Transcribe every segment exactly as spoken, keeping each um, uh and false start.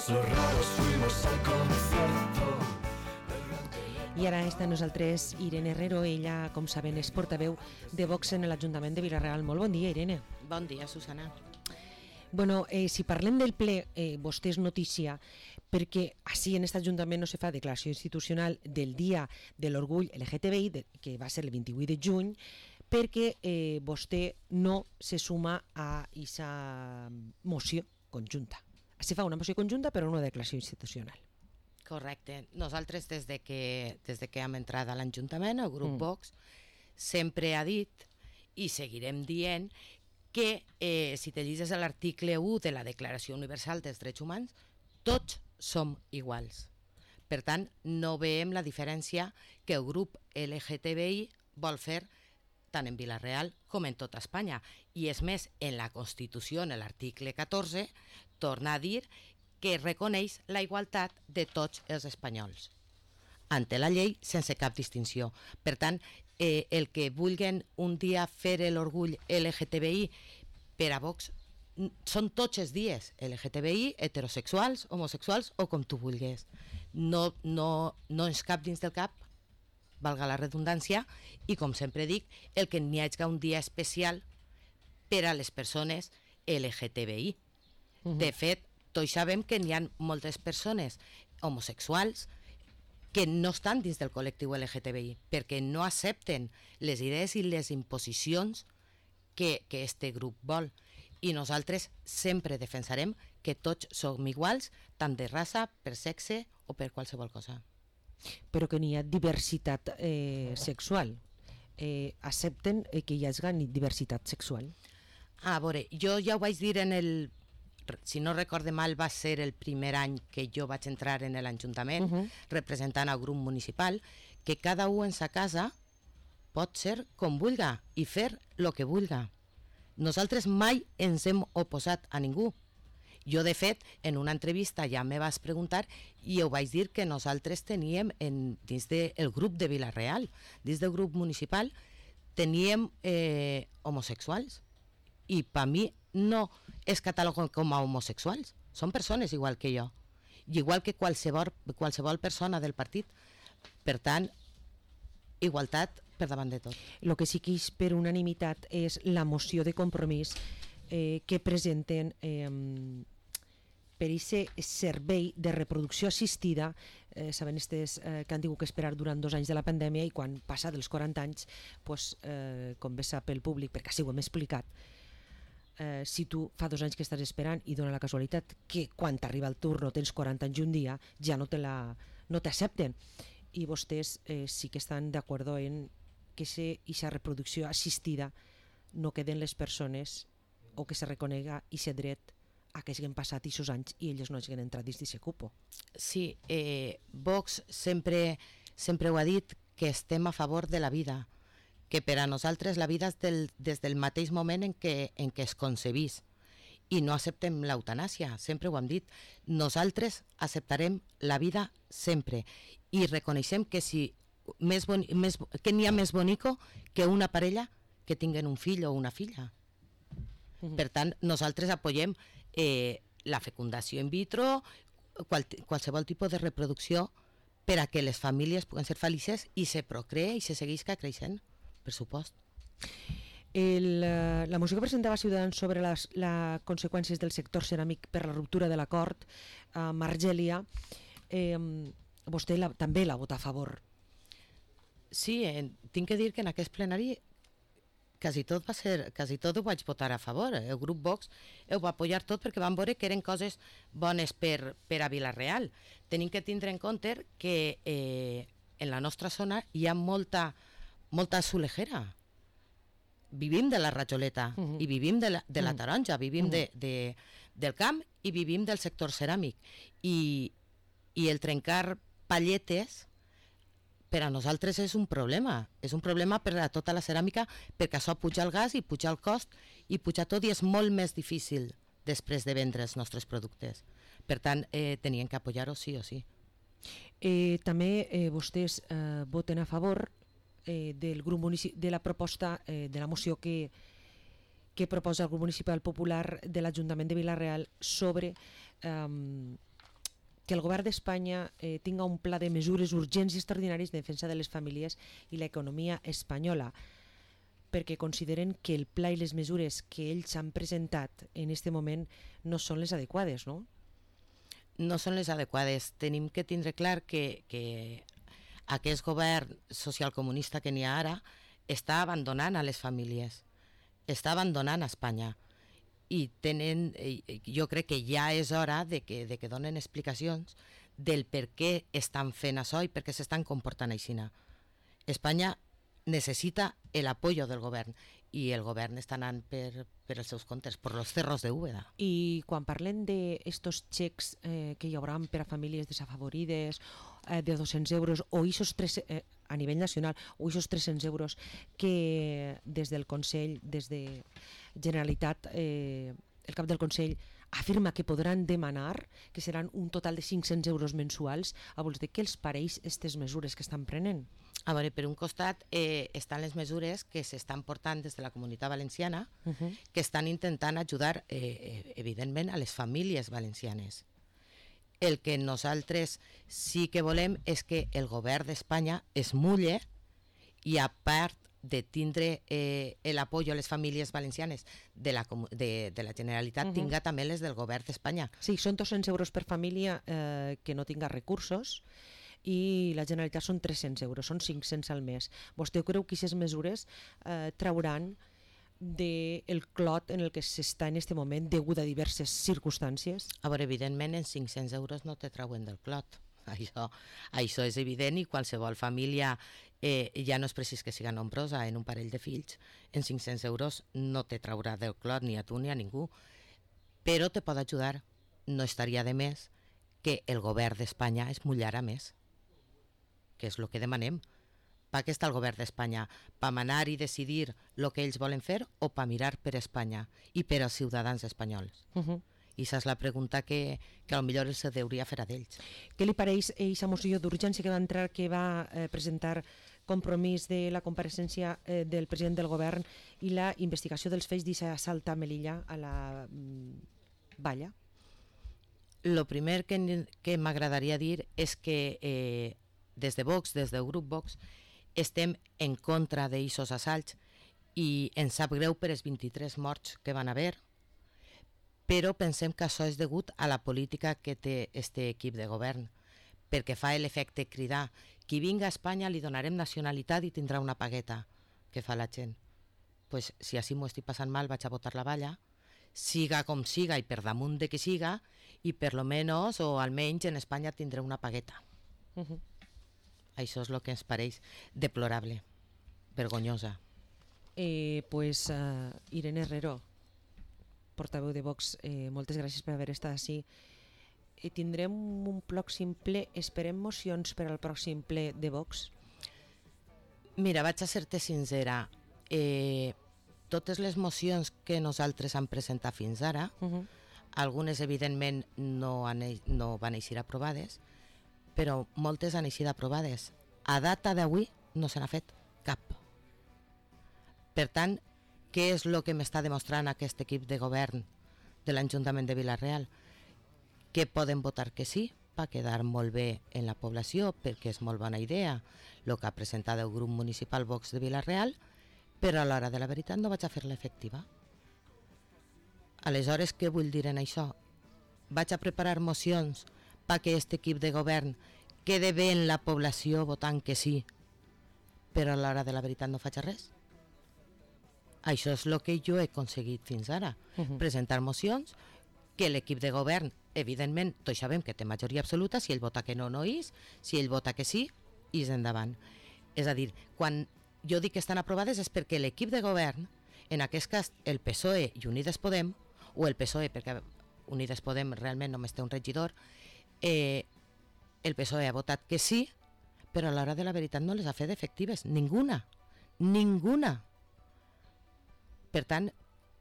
los raros fuimos al concierto. I ara està amb nosaltres Irene Herrero, ella, com saben, és portaveu de Vox en l'Ajuntament de Vila-real. Molt bon dia, Irene. Bon dia, Susana. Bueno, eh, si parlem del ple, eh, vostè és notícia perquè així en aquest Ajuntament no se fa declaració institucional del dia de l'orgull L G T B I, de, que va ser el vint-i-vuit de juny, perquè eh, vostè no se suma a aquesta moció conjunta. Se fa una moció conjunta però no una declaració institucional. Correcte. Nosaltres, des de que, des de que hem entrat a l'Ajuntament, el grup mm. Vox, sempre ha dit, i seguirem dient, que eh, si te llegis l'article u de la Declaració Universal dels Drets Humans, tots som iguals. Per tant, no veiem la diferència que el grup L G T B I vol fer tant en Vila-real com en tota Espanya. I és més, en la Constitució, en l'article catorze, torna a dir que reconeix la igualtat de tots els espanyols ante la llei sense cap distinció. Per tant, eh, el que vulguen un dia fer l'orgull L G T B I per a Vox són tots els dies L G T B I, heterosexuals, homosexuals o com tu vulguis. No, no, no ens cap dins del cap, valga la redundància, i com sempre dic, el que n'hi hagi un dia especial per a les persones L G T B I. Uh-huh. De fet, tots sabem que n'hi ha moltes persones homosexuals que no estan dins del col·lectiu L G T B I perquè no accepten les idees i les imposicions que, que este grup vol. I nosaltres sempre defensarem que tots som iguals, tant de raça, per sexe o per qualsevol cosa. Però que n'hi ha diversitat eh, sexual. Eh, accepten eh, que hi hagi diversitat sexual? A veure, jo ja ho vaig dir en el... si no recorde mal, va ser el primer any que jo vaig entrar en l'Ajuntament, uh-huh. representant el grup municipal, que cada un en sa casa pot ser com vulga i fer el que vulga. Nosaltres mai ens hem oposat a ningú. Jo, de fet, en una entrevista ja me vas preguntar i ho vaig dir que nosaltres teníem, en, dins del grup de Vila-real, dins del grup municipal, teníem eh, homosexuals. I per mi no es cataloguen com a homosexuals, són persones igual que jo, i igual que qualsevol, qualsevol persona del partit. Per tant, igualtat per davant de tot. El que sí que és per unanimitat és la moció de compromís eh, que presenten eh, per aquest servei de reproducció assistida. Eh, saben estes, eh, que han tingut que esperar durant dos anys de la pandèmia, i quan passa dels quaranta anys, pues, eh, com bé sap el públic, perquè així ho hem explicat, Eh, si tu fa dos anys que estàs esperant i dona la casualitat que quan t'arriba el turno tens quaranta anys i un dia, ja no te la, no t'accepten, i vostès eh, sí que estan d'acord en que aquesta reproducció assistida no queden les persones, o que se reconega aquest dret a que hagin passat aquests anys i elles no hagin entrat dins d'aquest cupo. Sí, eh, Vox sempre, sempre ho ha dit, que estem a favor de la vida, que per a nosaltres la vida és del, des del mateix moment en què, en què es concebís, i no acceptem l'eutanàsia, sempre ho hem dit. Nosaltres acceptarem la vida sempre i reconeixem que, si més boni, més, que n'hi ha més bonico que una parella que tinguen un fill o una filla. Mm-hmm. Per tant, nosaltres apoyem eh, la fecundació in vitro, qual, qualsevol tipus de reproducció per a que les famílies puguen ser felices i se procree i se seguisca creixent. Per supost. El, la moció que presentava Ciutadans sobre les la conseqüències del sector ceràmic per la ruptura de l'acord a Margèlia, eh, vostè la, també la vota a favor. Sí, eh, tinc que dir que en aquest plenari quasi tot va ser, quasi tot ho vaig votar a favor. El grup Vox ho va apoyar tot perquè van veure que eren coses bones per, per a Vila-real. Tenim que tindre en compte que eh, en la nostra zona hi ha molta molta solejera. Vivim de la rajoleta, uh-huh. i vivim de la, de la taronja, vivim uh-huh. de, de, del camp i vivim del sector ceràmic. I, i el trencar palletes per a nosaltres és un problema. És un problema per a tota la ceràmica, perquè això puja el gas i puja el cost i puja tot, i és molt més difícil després de vendre els nostres productes. Per tant, eh, tenien que apoyar-ho sí o sí. Eh, també eh, vostès eh, voten a favor Eh, del grup munici- de la proposta eh, de la moció que, que proposa el grup municipal popular de l'Ajuntament de Vila-real sobre eh, que el govern d'Espanya eh, tinga un pla de mesures urgents i extraordinaris de defensa de les famílies i l'economia espanyola, perquè consideren que el pla i les mesures que ells han presentat en aquest moment no són les adequades, no? No són les adequades. Tenim que tindre clar que, que aquest govern socialcomunista que n'hi ha ara està abandonant a les famílies, està abandonant a Espanya. I tenen, jo crec que ja és hora de que, de que donen explicacions del per què estan fent això i per què s'estan comportant així. Espanya necessita el apoyo del govern i el govern està anant per, per els seus comptes, per los cerros de Úbeda. I quan parlem d'estos xecs eh, que hi haurà per a famílies desafavorides eh, de dos-cents euros o isos tres, eh, a nivell nacional o isos tres-cents euros que des del Consell, des de Generalitat, eh, el cap del Consell afirma que podran demanar, que seran un total de cinc-cents euros mensuals, a vols dir què els pareix aquestes mesures que estan prenent? A veure, per un costat eh, estan les mesures que s'estan portant des de la Comunitat Valenciana, uh -huh. que estan intentant ajudar, eh, evidentment, a les famílies valencianes. El que nosaltres sí que volem és que el govern d'Espanya es mulle i, a part de tindre eh, el apoyo a les famílies valencianes de la, de, de la Generalitat, uh -huh. tinga també les del govern d'Espanya. Sí, són dos-cents euros per família eh, que no tinga recursos, i la Generalitat són tres-cents euros, són cinc-cents al mes. Vostè creu que aquestes mesures eh, trauran del clot en el que s'està en aquest moment degut a diverses circumstàncies? A veure, evidentment, en cinc-cents euros no te trauen del clot. Això, això és evident, i qualsevol família, eh, ja no és precís que siga nombrosa, en un parell de fills, en cinc-cents euros no te traurà del clot ni a tu ni a ningú. Però te pot ajudar. No estaria de més que el govern d'Espanya es mullara més, que és el que demanem. Per què està el govern d'Espanya? Per manar i decidir el que ells volen fer o per mirar per Espanya i per als ciutadans espanyols? Uh -huh. I aquesta és la pregunta que, que potser els hauria fer a d'ells. Què li pareix aquesta moció d'urgència que va entrar, que va eh, presentar Compromís de la compareixença eh, del president del govern i la investigació dels fets d'assalt a Melilla, a la mm, Valla? El primer que, que m'agradaria dir és que eh, des de Vox, des del grup Vox, estem en contra d'aquests assalts i ens sap greu per els vint-i-tres morts que van haver, però pensem que això és degut a la política que té aquest equip de govern, perquè fa l'efecte cridar: qui vinga a Espanya li donarem nacionalitat i tindrà una pagueta. Què fa la gent? Pues, si així m'ho estic passant mal, vaig a votar la Valla, siga com siga i per damunt de que siga, i per lo menos, o almenys en Espanya tindré una pagueta. Uh -huh. Això és el que ens pareix deplorable, vergonyosa. Eh, pues uh, Irene Herrero, portaveu de Vox, eh, moltes gràcies per haver estat així. Eh, tindrem un pròxim ple, esperem mocions per al pròxim ple de Vox? Mira, vaig a ser-te sincera. Eh, totes les mocions que nosaltres hem presentat fins ara, uh -huh. algunes evidentment no, han, no van eixir aprovades, però moltes han eixit aprovades. A data d'avui no se n'ha fet cap. Per tant, què és el que m'està demostrant aquest equip de govern de l'Ajuntament de Vila-real? Que poden votar que sí, per quedar molt bé en la població, perquè és molt bona idea el que ha presentat el grup municipal Vox de Vila-real, però a l'hora de la veritat no vaig a fer-la efectiva. Aleshores, què vull dir en això? Vaig a preparar mocions perquè aquest equip de govern quede bé en la població votant que sí, però a l'hora de la veritat no faig res. Això és el que jo he aconseguit fins ara. Uh -huh. Presentar mocions que l'equip de govern, evidentment, tots sabem que té majoria absoluta, si ell vota que no, no és, si ell vota que sí, és endavant. És a dir, quan jo dic que estan aprovades és perquè l'equip de govern, en aquest cas el P S O E i Unides Podem, o el P S O E, perquè Unides Podem realment només té un regidor, eh, el P S O E ha votat que sí, però a l'hora de la veritat no les ha fet efectives, ninguna, ninguna. Per tant,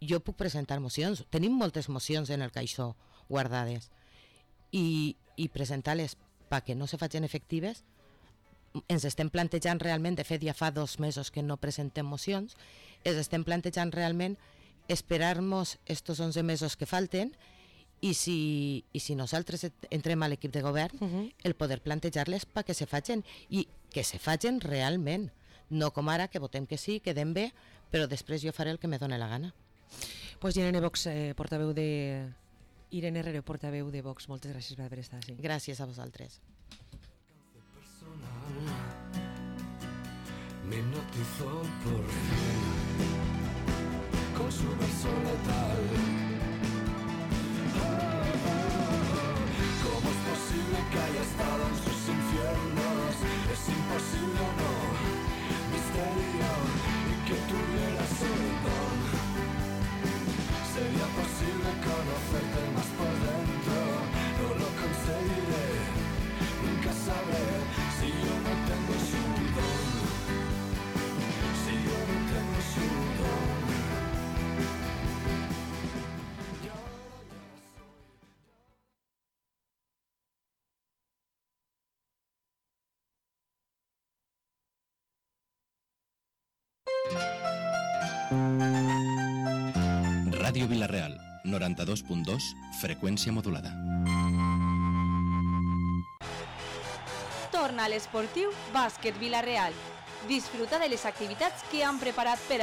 jo puc presentar mocions, tenim moltes mocions en el caixó guardades, i, i presentar-les perquè no se facin efectives. Ens estem plantejant realment, de fet ja fa dos mesos que no presentem mocions, ens estem plantejant realment esperar-nos estos onze mesos que falten i si, i si nosaltres entrem a l'equip de govern, uh -huh. el poder plantejar-les perquè se facin, i que se facin realment, no com ara que votem que sí, quedem bé, però després jo faré el que me dóna la gana. Pues Irene Vox, eh, portaveu de... Irene Herrero, portaveu de Vox, moltes gràcies per haver estat així. Gràcies a vosaltres. Me hipnotizó por fin con su verso letal. Oh, oh, oh. ¿Cómo es posible que haya estado en sus infiernos? Es imposible, no, misterio, y que tuviera ese don. Sería posible conocerte más por dentro, no lo conseguiré, nunca sabré si yo no tengo su don. Si yo no tengo su don. Ràdio Vila-real, noranta-dos punt dos, freqüència modulada. Torna a l'esportiu Bàsquet Vila-real. Disfruta de les activitats que han preparat per a